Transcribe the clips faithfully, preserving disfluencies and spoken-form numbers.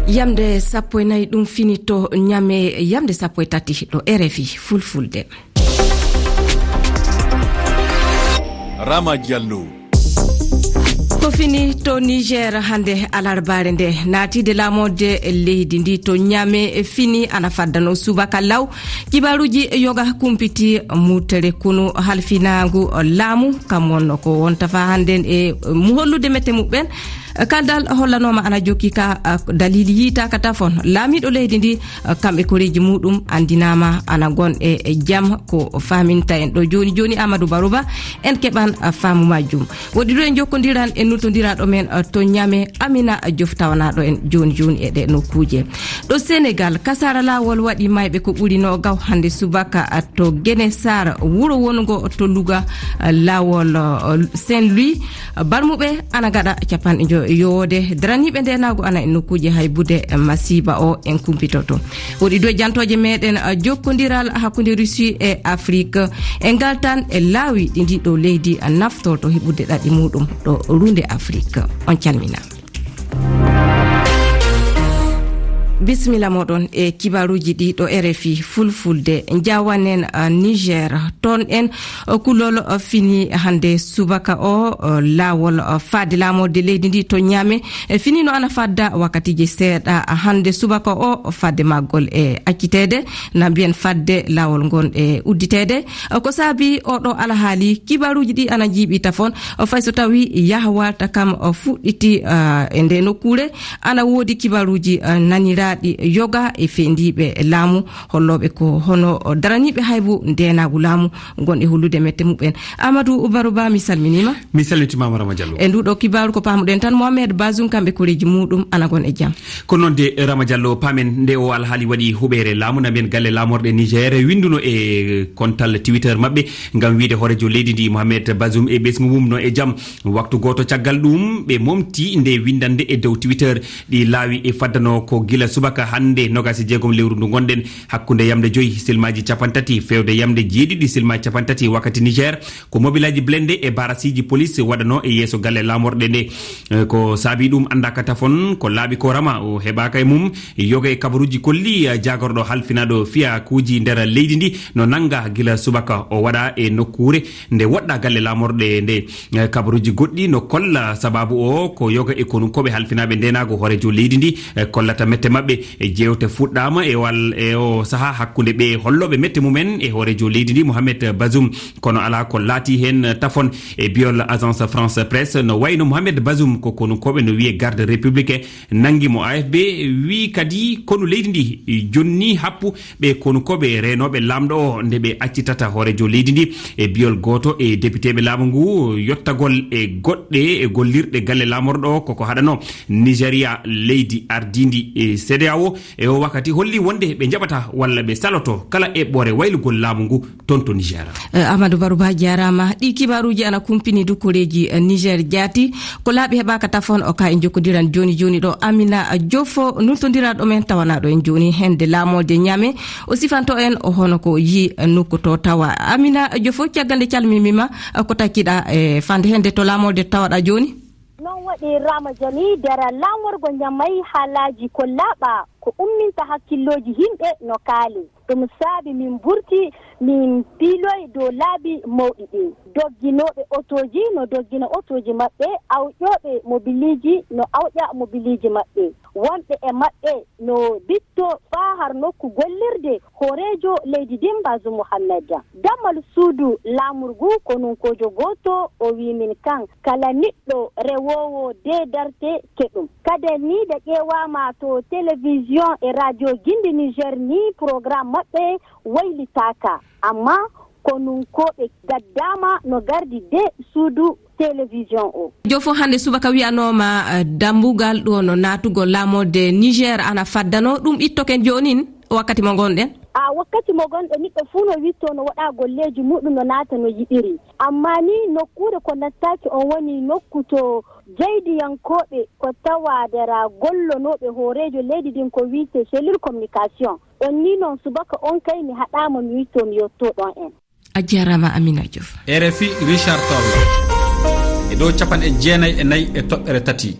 Yamde sappo e nayi ɗum fini to Ñame, yamde sappo e tati ɗo R F I Fulfulde. Rama Diallo. Ko fini to Niger hannde alarbaare nde naatide laamorde leydi ndi to Ñame fini ana faddano subaka law. Kibaaruuji yoga kumpiti mutere kunu halfinaagu laamu kam wonno ko wonta fa hannde e mu hollude mette muɓɓen. Kaldal hollanooma ana jokki ka, ah, dalili yiitaaka tafon. Laamiiɗo leydi ndi, ah, kamɓe koreeji muɗum anndinaama ana gon e, e jam ko faaminta en ɗo jooni jooni Amadou Barouba. En keɓan, ah, faamu majjum. Woɗɗi ɗo en jokkondiran e nultondiraaɗo men, ah, to Ñame Amina Diouf tawanaaɗo en jooni jooni e ɗe nokkuuje. Ɗo Senegal, kasaara laawol waɗi mayɓe ko ɓuri no gaw hannde subaka, ah, to Gene Sar, wuro wongo to Louga, ah, laawol, ah, Saint-Louis. Barmuɓe ana gaɗa capanɗe njo-, yowoode. Daraniiɓe ndeenaagu ana e nokkuuje haybude masiiba o en kumpitoto. Woɗi dow jantooje meɗen, ah, jokkondiral hakkunde Russie e Afrique. En ngaltan e laawi ɗi ndi ɗo leydi, ah, naftorto heɓude ɗaɗi muɗum ɗo runde Afrique. On calminaama. Bisimilla moɗon e kibaaruuji ɗi ɗo R F I Fulfulde. Njawanen, ah, Niger. Toon en, ah, kulol, ah, fini hannde subaka o, ah, laawol, ah, faade laamorde leydi ndi to Ñame. E fini no ana fadda wakkatiiji seeɗa, ah, hannde subaka o fadde maggol e acciteede. Na mbiyen fadde laawol ngon e udditeede. Ah, ko saabi oɗo alhaali kibaaruuji ɗi ana njiiɓi tafon. Fay so tawi yahwata kam fuɗɗiti, ah, e nde nokkuure, ana woodi kibaaruuji, ah, naniraaɗi yoga e fendiiɓe laamu, hollooɓe ko hono daraniiɓe haybu ndeenaagu laamu, ngon e hollude mette muɓɓen. Amadou Barouba, mi salminiima. Mi salmitimaama, Rama Diallo. E nduɗo kibaaru ko paamuɗen tan, Mohamed Bazoum kamɓe koreeji muɗum ana gon e jam. Ko noon de, Rama Diallo, paamen nde o alhaali waɗi huɓeere laamu, na mbiyen galle laamorɗe Niger winnduno e kontal Twitter maɓɓe ngam wiide hooreejo leydi ndi Mohamed Bazoum e ɓesngu mum no e jam. Waktu gooto caggal ɗum, ɓe momti nde winndannde e dow Twitter. Ɗi laawi e faddano ko gila subaka hannde, nogas e jeegom lewru ndu ngonɗen, hakkunde yamde joyi, silmaaji capanɗe tati feewde yamde jeeɗiɗi, silmaaji capanɗe tati wakkati Niger, ko mobilaaji blende e barasiiji polis waɗano e yeeso galle laamorɗe nde. Eh, ko saabi ɗum anndaaka tafon, ko laaɓi ko Rama o heɓaaka e mum. Yoga e kabaruuji kolli, eh, jaagorɗo halfinaaɗo fiyakuuji nder leydi ndi no nannga gila subaka o waɗa e nokkuure nde woɗɗa galle laamorɗe nde. Eh, kabaruuji goɗɗi no kolla sababu o ko yoga e konunkooɓe halfinaaɓe ndeenaagu hooreejo leydi ndi, eh, kollata mette maɓɓe. E jeewte fuɗɗaama e wal-, e o sahaa hakkunde ɓe hollooɓe mette mumen e hooreejo leydi ndi Mohamed Bazoum, kono alaa ko laati heen tafon. E biyol Agence France Presse, no wayno Mohamed Bazoum ko konunkooɓe no wiye garde républicain nanngi mo. A F P wii kadi konu leydi ndi jonni happu ɓe konunkooɓe reenooɓe laamɗo o nde ɓe accitata hooreejo leydi ndi. E biyol gooto e depiteeɓe laamu ngu, yottagol e goɗɗe e gollirɗe galle laamorɗo o koko haɗano. Nigeria, leydi ardiindi e C E D E A O, e o wakkati holli wonde ɓe njaɓata walla ɓe saloto kala eɓɓoore waylugol laamu ngu toon to Niger. Eh, Amadou Barouba jaaraama. Ɗi kibaaruuji ana kumpini du koreeji, eh, Niger jaati. Ko laaɓi heɓaaka tafon o ka en jokkodiran jooni jooni ɗo. Amina Jofo, nultondiraaɗo men tawanaaɗo en jooni hende laamorde Ñame. O sifanto en o hono ko yi nokku to tawa. Amina Jofo, caggal nde calmimima, eh, ko takkiɗa, eh, fande hende to laamorde tawaɗa jooni? Non waɗi Rama Diallo, dara laamorgo Ñamay haalaaji ko laaɓa, ko umminta hakkillooji yimɓe no kaali. Ɗum saabi min mburti, min piiloyi dow laabi mawɗi ɗin. Dogginooɓe otooji no doggina otooji maɓɓe, awƴooɓe mobiliiji no awƴa mobiliiji maɓɓe. Wonɓe e maɓɓe no bitto faa har nokku gollirde hooreejo leydi ndin Bazoum Mohamed. Dammal suudu laamorgu konunkoojo gooto o wii min kan, kala niɗɗo rewoowo dee darte keɗum. Kaden ni nde ƴeewaama to télévision e radio Gindi Niger ni programme maɓɓe waylitaaka. Amma konunkooɓe gaddaama no gardi de suudu télévision o. Jofo, hannde subaka wiyanooma, eh, dambugal ɗo no naatugol laamorde Niger ana faddano, ɗum ittoken joonin wakkati mo ngonɗen? A, wakkati mo ngonɗen, niɗɗo fuu no witto no waɗa golleeji muɗum no naata no yiɗiri. Amma ni nokkuure ko nattaaki on woni nokku to jeydiyankooɓe ko tawa dara gollonooɓe hooreejo leydi ndin ko wiite cellule communication. On ni non subaka on kay mi haɗaama mi witto mi yotto ɗon en. A jaaraama Amina Diouf. R F I Richard Toll. E dow capanɗe jeenayi e nayi e toɓɓere tati.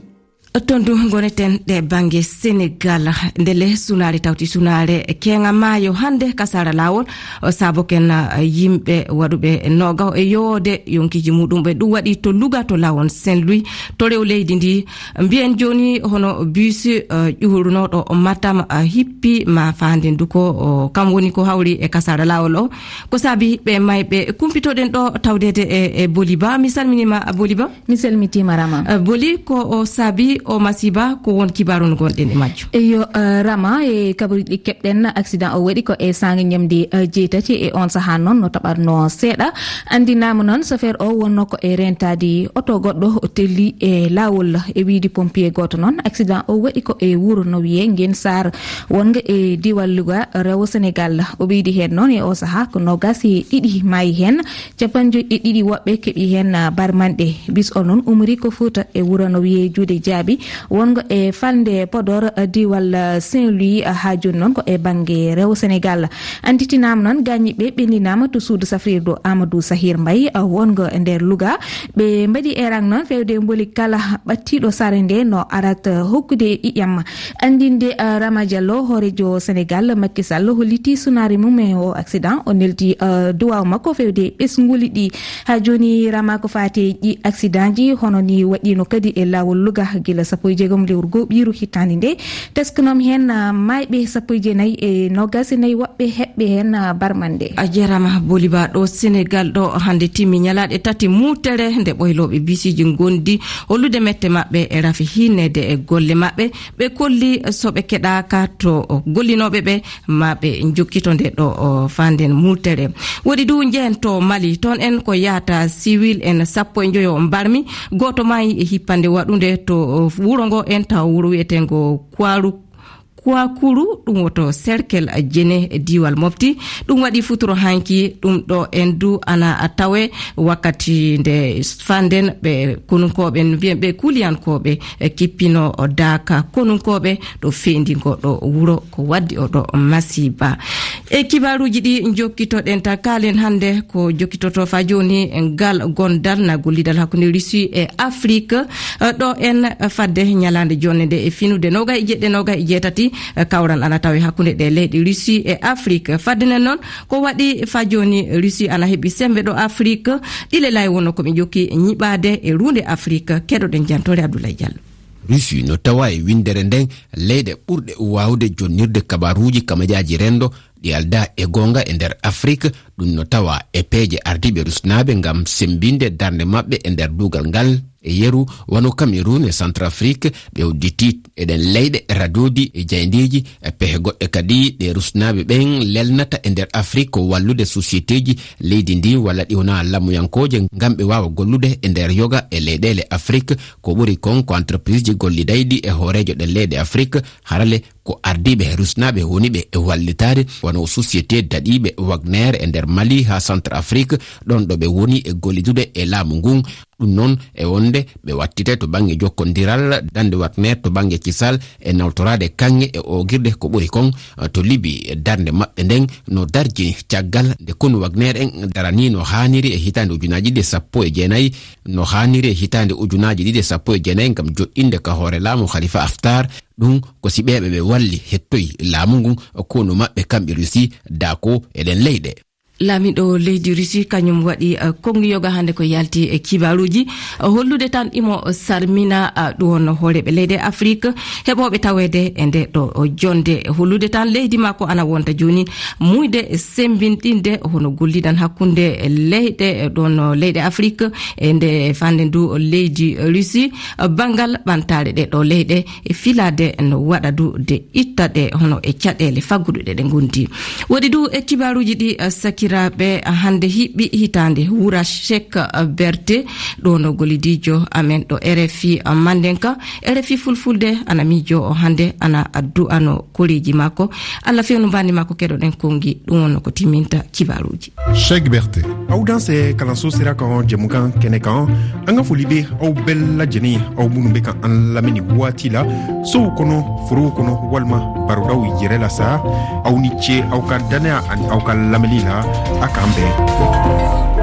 Ton du ngoneten ɗe bannge Senegal, ndele sunaare tawti sunaare keŋa maayo hannde kasara laawol, o saboken, eh, yimɓe waɗuɓe noga e yoode yonkiji muɗum ɓe. Ɗum waɗi to Louga, to laawol Saint-Louis, to rew leydi ndi. Mbiyen jooni hono bus, eh, ƴuhurnooɗo Matam, eh, hippi ma faande ndu ko, o, kam woni ko hawri e kasara laawol o. Ko saabi ɓe mayɓe kumpitoɗen ɗo tawdede e, e Boli Ba. Mi salminima Boli Ba. Mi salmitima Rama. Eh, Boli, ko o saabi o masiba, ko won kibaru no gonɗen e majjum? Eyo, eh, Rama, e kabaruji ɗi keɓɗen, accident o waɗi ko e saanga ñamde, eh, jeetati. E on saha noon no taɓatno seeɗa. Andinama noon, chauffeur o wonno ko e rentade oto goɗɗo o telli e laawol. E wiide pompier gooto noon, accident o waɗi ko e wuro no wiye Ngen Sarr, wonga e diwal Louga, rewo Senegal. O ɓeydi heen noon, e o saha ko nogas e ɗiɗi maayi heen, capanɗe joyi e ɗiɗi woɓɓe keɓi heen, ah, barmanɗe. Bis o noon umri ko Fuuta e wuro no wiyee Juuɗe Jaabi, wongo e falnde Podor, ah, diwal, ah, Saint-Louis, ah, haa jooni noon ko e bannge rewo Senegal. Annditinaama noon, gaañiiɓe ɓenndinaama to suudu safrirdu Amadou Sahir Mbaye, ah, wongo e nder Louga. Ɓe mbaɗi erang noon feewde mboli kala ɓattiiɗo sare nde no arat, ah, hokkude ƴiƴam. Anndinde, ah, Rama Diallo, hooreejo Senegal, Macky Sall, holliti sunaare mum e o accident. O neldi, ah, duwaaw makko feewde ɓesnguuli ɗi. Haa jooni, Rama, ko faati e ɗi accident ji, hono ni waɗiino kadi e laawol Louga, gila sappo e jeegom lewru goo ɓiiru hitaande nde. Teskanoom heen, ah, maayɓe sappo e jeenayi e noogaas e nayi, woɓɓe heɓɓe heen, ah, barmande. A jarama, Boli Ba. Ɗo Senegal ɗo hannde timmi ñalaaɗe tati muultere nde ɓoylooɓe bisiji ngondi hollude mette maɓɓe e rafi hinnede e golle maɓɓe. Ɓe kolli so ɓe keɗaaka to gollinooɓe ɓe, ma ɓe njokkito nde ɗo, o, fanden muultere. Woɗi du njehen to Mali, toon en ko yahata siwil en sappo e njoyo mbarmi, gooto maayi e hippande waɗunde to, o, wuro ngo en taw wuro wiyetengo Kwaru-, Kwakuru, ɗum woto Serkel Jene e diiwal Mopti. Ɗum waɗi futuro hanki, ɗum ɗo en du ana tawe wakkati nde fanden ɓe konunkooɓe, mbiyen ɓe kuliyankooɓe, e kippino daaka konunkooɓe ɗo feendi ngo ɗo wuro, ko waddi o ɗo masiba. E kibaaruuji ɗi njokkitoɗen ta kaalen hannde ko jokkitoto fa jooni ngal gondal na gollidal hakkunde Russie e Afrique. Eh, ɗo en fadde ñalaande jonne nde e finude noga e jeɗɗe, noga e jeetati, eh, kawral ana tawe hakkunde ɗe leyɗe Russie e Afrique. Fadde nen noon, ko waɗi fa jooni Russie ana heɓi sembe ɗo Afrique? Ɗile lay wonno ko ɓe jokki ñiɓaade e ruunde Afrique. Keɗoɗen jantore Abdoulaye Diallo. Russie no tawa e winndere nden leyɗe ɓurɗe waawde jonnirde kabaruuji kamajaaji renndo ɗi aldaa e goonga e nder Afrik. Ɗum no tawa e peeje ardiiɓe rusnaaɓe ngam semmbinde darnde maɓɓe e nder duugal ngal. E yeru, wano Cameroun e Centrafrique, ɓe udditi e ɗen leyɗe radoodi e jayndeeji e pehe goɗɗe kadi ɗe rusnaaɓe ɓen lelnata e nder Afrik ko wallude sosieteeji leydi ndi walla ɗi wonaa lamuyankooje ngam ɓe waawa gollude e nder yoga e leyɗeele Afrik. Ko ɓuri kon ko entreprise ji gollidayɗi e hooreejo ɗen leyɗe Afrik, harale ko ardiiɓe e rusnaaɓe woni ɓe e wallitaade, wano société daɗiiɓe Wagner e nder Mali haa Centrafrique, ɗon ɗo ɓe woni e gollidude e laamu ngun. Ɗum noon e wonde ɓe wattite to bannge jokkondiral dande Wagner to bannge kisal e nawtoraade kaŋŋe e oogirde ko ɓuri kon to Libi. Darnde maɓɓe nden no darjini caggal nde konu Wagner en daranii no haaniri e hitaande ujunaaji ɗiɗi e sappo e jeenayi, no haaniri e hitaande ujunaaji ɗiɗi e sappo e jeenayi ngam joɗɗinde ka hoore laamu Khalifa Haftar. Ɗum ko si ɓeeɓe ɓe walli hettoyi laamu ngun, konu maɓɓe kamɓe Russie daako e ɗen leyɗe. Laamiɗo leydi Russie kañum waɗi, eh, konngi yoga hannde ko yalti e kibaaruuji, eh, hollude tan imo sarmina, eh, ɗum wonno hooreeɓe leyɗe Afrik heɓooɓe taweede e nde ɗo jonde. Hollude tan leydi makko ana wonta jooni muyde semmbinɗinde hono gollidan hakkunde leyɗe, eh, ɗon leyɗe Afrik e nde fande ndu leydi Russie, eh, banngal ɓantaare ɗe ɗo leyɗe e filaade no waɗa du de itta ɗe hono e caɗeele fagguduɗe ɗe ngondi. Woɗi du e kibaaruuji ɗi, eh, sakiraaɓe, eh, hannde hiɓɓi hitaande wura Cheikh, eh, Berte, ɗo no gollidiijo amen ɗo R F I, eh, Mandenka, R F I Fulfulde, ana miijo o hannde, ana addu ano koreeji makko. Allah fewnu mbandi makko keɗoɗen konngi, ɗum wonno ko timminta kibaaruuji. Cheikh Berte. Awdanse kalanso sira kan, jɛmukan kɛnɛ kan, an ka foli bɛ aw bɛɛ lajɛlen, aw minnu bɛ ka an lamɛnni waati la, sow kɔnɔ, forow kɔnɔ, walima barodaw yɛrɛ la sa, aw ni ce, aw ka dannaya ani aw ka lamɛnni la, a k'an bɛn.